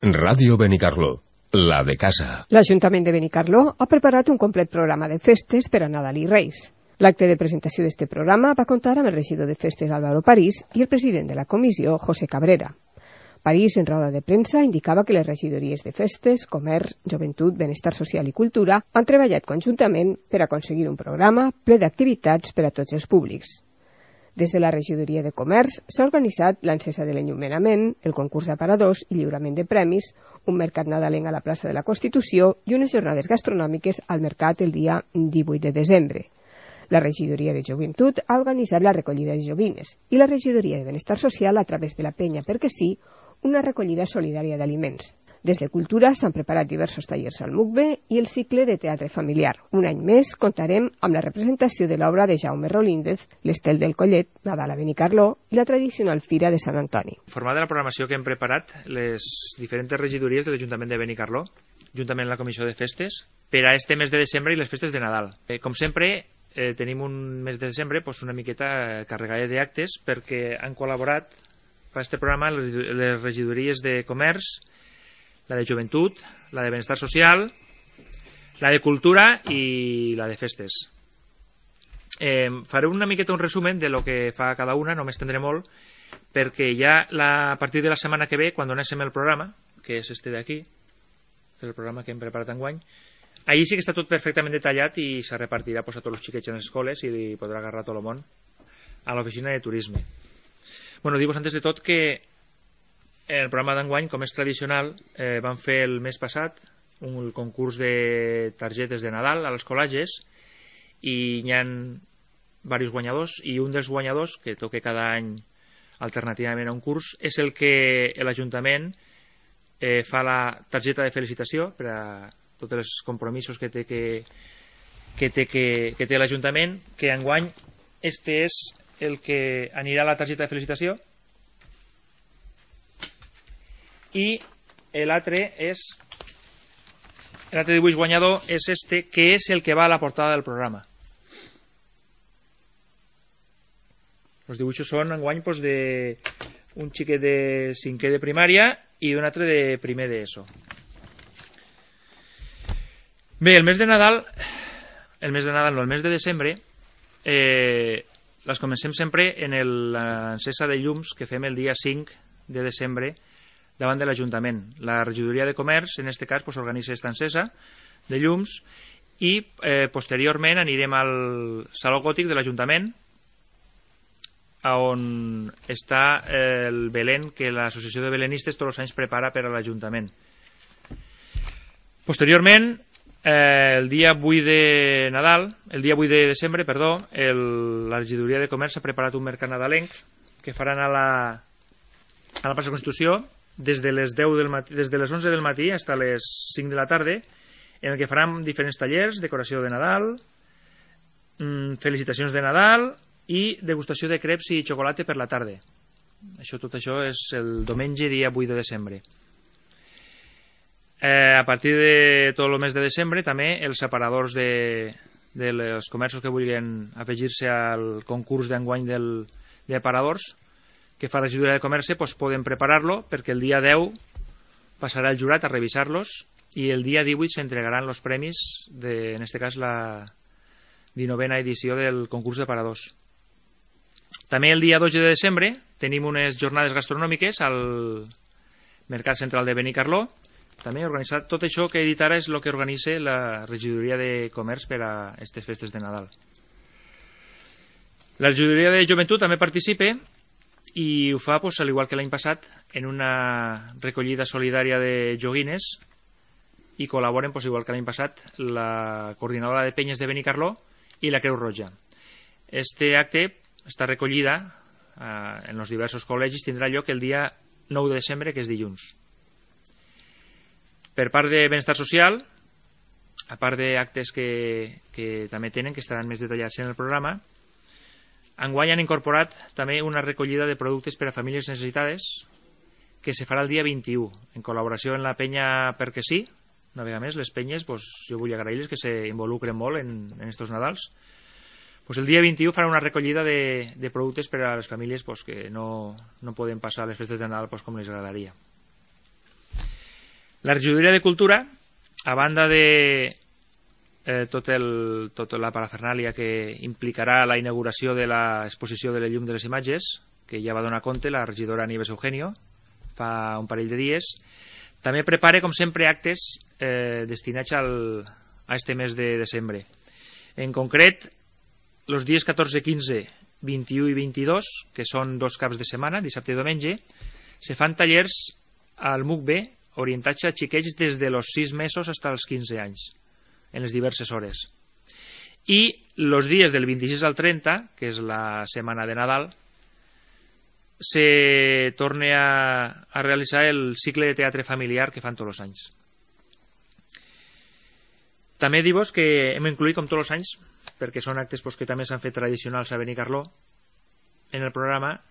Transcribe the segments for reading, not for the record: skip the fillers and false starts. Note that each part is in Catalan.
Ràdio Benicarló, la de casa. L'Ajuntament de Benicarló ha preparat un complet programa de festes per a Nadal i Reis. L'acte de presentació d'este programa va comptar amb el regidor de festes Álvaro París i el president de la comissió, José Cabrera. París, en roda de premsa, indicava que les regidories de festes, comerç, joventut, benestar social i cultura han treballat conjuntament per aconseguir un programa ple d'activitats per a tots els públics. Des de la regidoria de comerç s'ha organitzat l'encesa de l'enllumenament, el concurs d'aparadors i lliurament de premis, un mercat nadalenc a la plaça de la Constitució i unes jornades gastronòmiques al mercat el dia 18 de desembre. La regidoria de joventut ha organitzat la recollida de joguines i la regidoria de benestar social, a través de la penya Perquè sí, una recollida solidària d'aliments. Des de Cultura s'han preparat diversos tallers al MUCBE i el cicle de teatre familiar. Un any més comptarem amb la representació de l'obra de Jaume Rolíndez, l'Estel del Collet, Nadal a Benicarló i la tradicional Fira de Sant Antoni. Format de la programació que hem preparat les diferents regidories de l'Ajuntament de Benicarló, juntament amb la Comissió de Festes, per a este mes de desembre i les festes de Nadal. Com sempre, tenim un mes de desembre una miqueta carregat d'actes perquè han col·laborat per a aquest programa les regidories de comerç, la de joventut, la de benestar social, la de cultura i la de festes. Faré una miqueta un resumen de lo que fa cada una, no m'estendré molt, perquè ja a partir de la setmana que ve, quan donéssim el programa, que és este d'aquí, el programa que hem preparat enguany, allí sí que està tot perfectament detallat i se repartirà a tots els xiquets en les escoles i li podrà agarrar tot el món a l'oficina de turisme. Bueno, dir-vos antes de tot que el programa d'enguany, com és tradicional, van fer el mes passat un concurs de targetes de Nadal a les col·lages i hi ha diversos guanyadors i un dels guanyadors, que toca cada any alternativament a un curs, és el que l'Ajuntament fa la targeta de felicitació per a tots els compromisos que té l'Ajuntament, que enguany este és el que anirà a la targeta de felicitació i l'altre dibuix guanyador és este, que és el que va a la portada del programa. Els dibuixos són enguany d'un xiquet de 5è de primària i d'un altre de primer d'ESO. Bé, el mes de desembre les comencem sempre en l'encesa de llums que fem el dia 5 de desembre davant de l'Ajuntament. La regidoria de comerç, en aquest cas, organitza aquesta encesa de llums i posteriorment anirem al Saló Gòtic de l'Ajuntament, on està el Belén que l'Associació de Belenistes tots els anys prepara per a l'Ajuntament. Posteriorment, el dia 8 de desembre, la regidoria de comerç ha preparat un mercat nadalenc que faran a la plaça Constitució des de les 11 del matí fins a les 5 de la tarda, en el que faran diferents tallers, decoració de Nadal, felicitacions de Nadal i degustació de creps i xocolata per la tarda. Tot això és el diumenge, dia 8 de desembre. A partir de tot el mes de desembre, també els separadors dels comerços que vulguin afegir-se al concurs d'enguany d'aparadors que fa la regidoria de comerç, poden preparar-lo perquè el dia 10 passarà el jurat a revisar-los i el dia 18 s'entregaran els premis en aquest cas la 19a edició del concurs d'aparadors. També el dia 12 de desembre tenim unes jornades gastronòmiques al Mercat Central de Benicarló. També organitzat tot això que he dit ara és el que organitza la regidoria de comerç per a aquestes festes de Nadal. La regidoria de joventut també participa i ho fa, al igual que l'any passat, en una recollida solidària de joguines i col·laboren, igual que l'any passat, la coordinadora de penyes de Benicarló i la Creu Roja. Este acte, esta recollida en els diversos col·legis, tindrà lloc el dia 9 de desembre, que és dilluns. Per part de benestar social, a part d'actes que també tenen, que estaran més detallats en el programa, enguany han incorporat també una recollida de productes per a famílies necessitades que se farà el dia 21, en col·laboració amb la penya Perquè sí. Una vegada més, les penyes, jo vull agrair-les que s'involucren molt en estos Nadals. El dia 21 farà una recollida de productes per a les famílies que no poden passar les festes de Nadal com les agradaria. La regidoria de Cultura, a banda de tota la parafernàlia que implicarà la inauguració de l'exposició de la llum de les imatges, que ja va donar compte la regidora Nieves Eugenio fa un parell de dies, també prepara, com sempre, actes destinats a este mes de desembre. En concret, els dies 14, 15, 21 i 22, que són 2 caps de setmana, dissabte i diumenge, se fan tallers al MUCB orientats a xiquets des de los 6 mesos fins als 15 anys, en les diverses hores. I els dies del 26 al 30, que és la setmana de Nadal, se torna a realitzar el cicle de teatre familiar que fan tots els anys. També dir-vos que hem incluït, com tots els anys, perquè són actes que també s'han fet tradicionals a Benicarló, en el programa,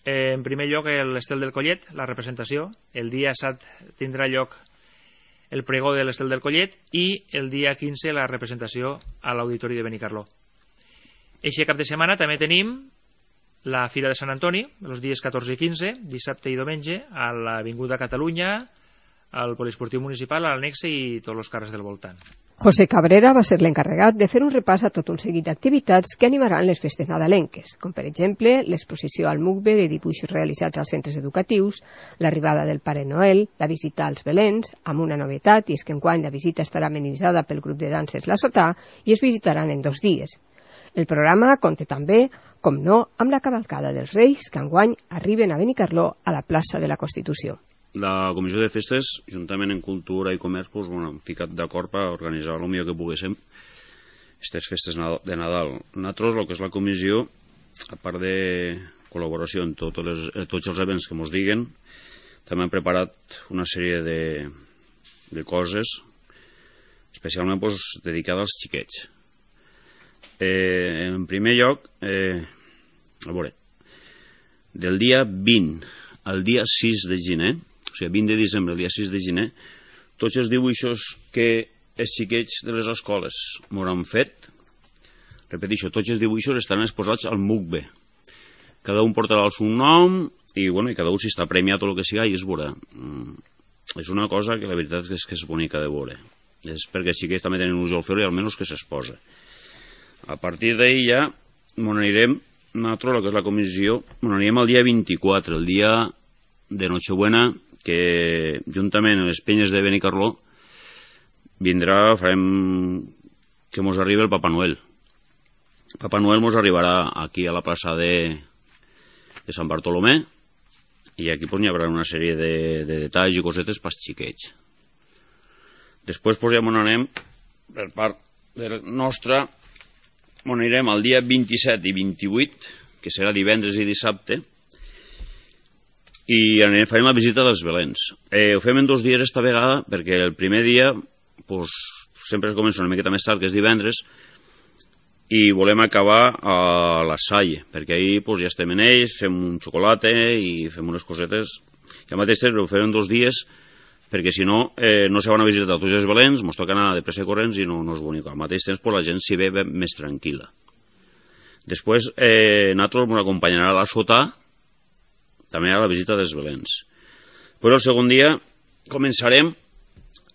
en primer lloc l'Estel del Collet, la representació. El dia 7 tindrà lloc el pregó de l'Estel del Collet i el dia 15 la representació a l'Auditori de Benicarló. Eixe cap de setmana també tenim la Fira de Sant Antoni, els dies 14 i 15, dissabte i diumenge, a l'Avinguda Catalunya, al Poliesportiu Municipal, a l'Annexe i tots els carrers del voltant. José Cabrera va ser l'encarregat de fer un repàs a tot un seguit d'activitats que animaran les festes nadalenques, com per exemple l'exposició al MUCB de dibuixos realitzats als centres educatius, l'arribada del Pare Noel, la visita als Belens, amb una novetat, i és que enguany la visita estarà amenitzada pel grup de danses La Sotà i es visitaran en 2 dies. El programa compta també, com no, amb la cavalcada dels Reis, que enguany arriben a Benicarló a la plaça de la Constitució. La Comissió de Festes, juntament amb Cultura i Comerç, hem ficat d'acord per organitzar el millor que poguéssim aquestes festes de Nadal. Nosaltres, el que és la comissió, a part de col·laboració en tots els events que ens diguen, també hem preparat una sèrie de coses, especialment dedicades als xiquets. En primer lloc, a veure, del dia 20 al dia 6 de gener, o sigui, 20 de desembre al dia 6 de gener, tots els dibuixos que els xiquets de les escoles m'hauran fet, repeteixo, tots els dibuixos estaran exposats al MUCB. Cada un portarà el seu nom i cada un, si està premiat o el que sigui, i es veurà. És una cosa que la veritat és que és bonica de veure. És perquè els xiquets també tenen un ull al fer i almenys que s'exposa. A partir d'ahir ja anirem, nosaltres, el que és la comissió, anirem el dia 24, el dia de Nochebuena, que juntament amb les penyes de Benicarló farem que mos arribi el Papa Noel. El Papa Noel mos arribarà aquí a la plaça de Sant Bartolomé i aquí hi haurà una sèrie de detalls i cosetes pels xiquets. Després ja anem per part nostra, anirem el dia 27 i 28, que serà divendres i dissabte, i farem la visita dels Belens. Ho fem en 2 dies esta vegada, perquè el primer dia sempre es comença una miqueta més tard, que és divendres, i volem acabar a la Salle, perquè ahir ja estem en ells, fem un xocolata i fem unes cosetes, i al mateix temps ho fem en 2 dies, perquè si no, no se van a visitar tots els Belens, ens toca anar de pressa i corrents i no és bonic. Al mateix temps la gent s'hi ve més tranquil·la. Després, nosaltres ens acompanyarà a la Sotà, també a la visita dels Belens. Però el segon dia començarem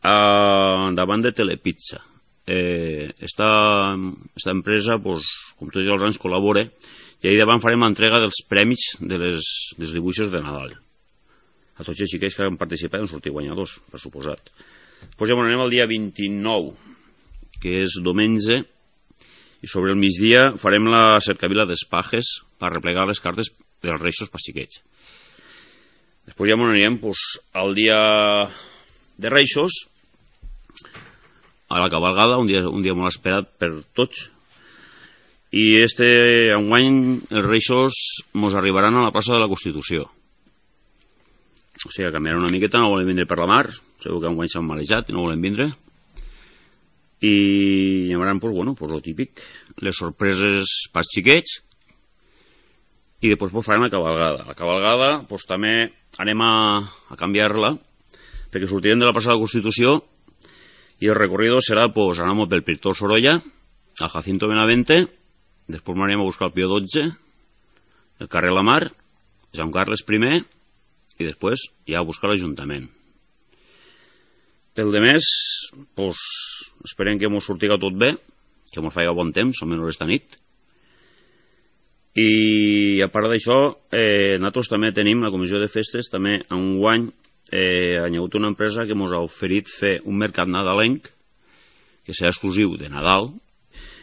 davant de Telepizza. Esta empresa, com tots els anys, col·labora i ahir davant farem l'entrega dels premis dels dibuixos de Nadal. A tots els xiquets que han participat han sortit guanyadors, per suposat. Després ja anem el dia 29, que és diumenge, i sobre el migdia farem la cercavila d'espajes per replegar les cartes dels Reixos per xiquets. Després ja anirem al dia de Reixos, a la cabalgada, un dia molt esperat per tots, i enguany els Reixos ens arribaran a la plaça de la Constitució. O sigui, canviaran una miqueta, no volen vindre per la mar, segur que enguany s'han marejat i no volen vindre, i hi haurà, el típic, les sorpreses pels xiquets, i després farem la cabalgada. La cabalgada també anem a canviar-la, perquè sortirem de la plaça de la Constitució i el recorrido serà, anem pel Pintor Sorolla, al Jacinto Benavente, després anem a buscar el Pío XII, el carrer La Mar, Joan Carles I, i després ja a buscar l'Ajuntament. Pel de més, pues, esperem que mos sortiga tot bé, que mos faci bon temps, almenys esta nit. I a part d'això, nosaltres també tenim, la comissió de festes, també enguany ha hagut una empresa que mos ha oferit fer un mercat nadalenc, que serà exclusiu de Nadal.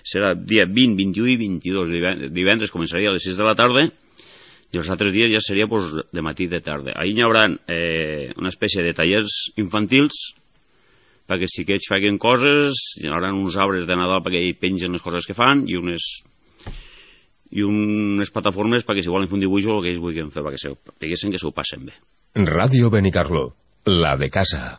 Serà dia 20, 21 i 22. Divendres començaria a les 6 de la tarda i els altres dies ja seria pues, de matí i de tarda. Ahir hi haurà una espècie de tallers infantils perquè els xiquets facin coses, hi haurà uns arbres de Nadal perquè hi pengen les coses que fan i unes plataformes perquè si volen fer un dibuix o el que ells vulguin fer perquè veiessin que s'ho passen bé. Radio Benicarló, la de casa.